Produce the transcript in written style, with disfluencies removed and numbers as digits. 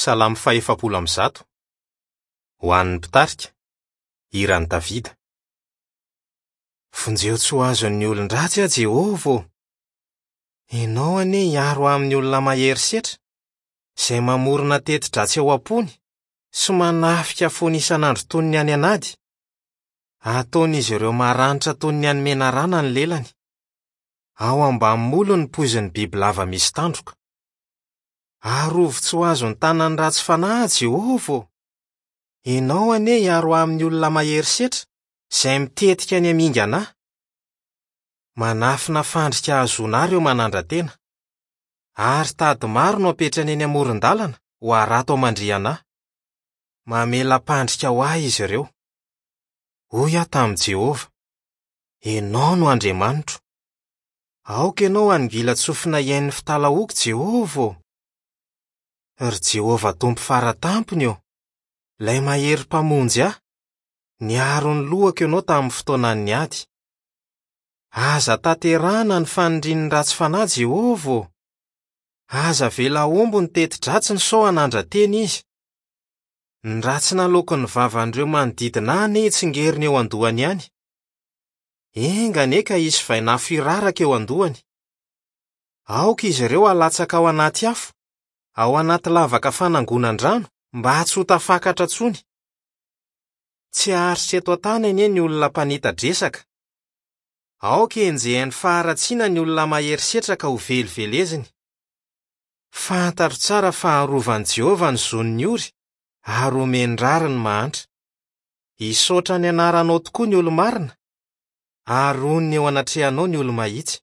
Salamo faha-140. Ho an'ny mpitarika. Hiran'i Davida. Vonjeo tsy ho azon'ny olon-dratsy aho, Jehovah ô! Ianao anie hiaro ahy amin'ny olona mahery setra, izay mamorona teti-dratsy ao am-pony sy manafika foana isan'andro toy ny any an'ady. Ataon'izy ireo maranitra toy ny an'ny menarana ny lelany. Ao ambany molony ny poizin'ny bibilava misy tandroka. Arovy tsy ho azon'ny tanan'ny ratsy fanahy aho, Jehovah ô! Ianao anie hiaro ahy amin'ny olona mahery setra, izay mitetika ny hamingana ahy. Manafina fandrika hahazoana ahy ireo manandra-tena. Ary tady maro no apetrany eny amoron-dalana ho harato hamandrihana ahy. Mamela-pandrika ho ahy izy ireo. Hoy aho tamin'i Jehovah, Ianao no Andriamanitro. Aoka ianao hanongilan-tsofina hihaino ny fitalahoako, Jehovah ô! Ry Jehovah Tompo Fara Tampony ô, ilay Mahery Mpamonjy ahy, niaro ny lohako ianao tamin'ny fotoanan'ny ady. Aza tanterahina ny fanirian'ny ratsy fanahy, Jehovah ô! Aza avela hahomby ny teti-dratsiny sao hanandra-tena izy. Ny ratsy naloaky ny vavan'ireo manodidina ahy anie hitsingerina eo an-dohany ihany. Enga anie ka hisy vainafo hiraraka eo an-dohany. Aoka izy ireo halatsaka ao anaty afo, ao anaty lavaka fanangonan-drano, mba tsy ho tafakatra intsony. Tsy haharitra eto an-tany anie ny olona mpanita-dresaka. Aoka henjehin'ny faharatsiana ny olona mahery setra ka hoveliveleziny. Fantatro tsara fa harovan'i Jehovah ny zon'ny ory ary homeny rariny ny mahantra. Hisaotra ny anaranao tokoa ny olo-marina, ary honina eo anatrehanao ny olo-mahitsy.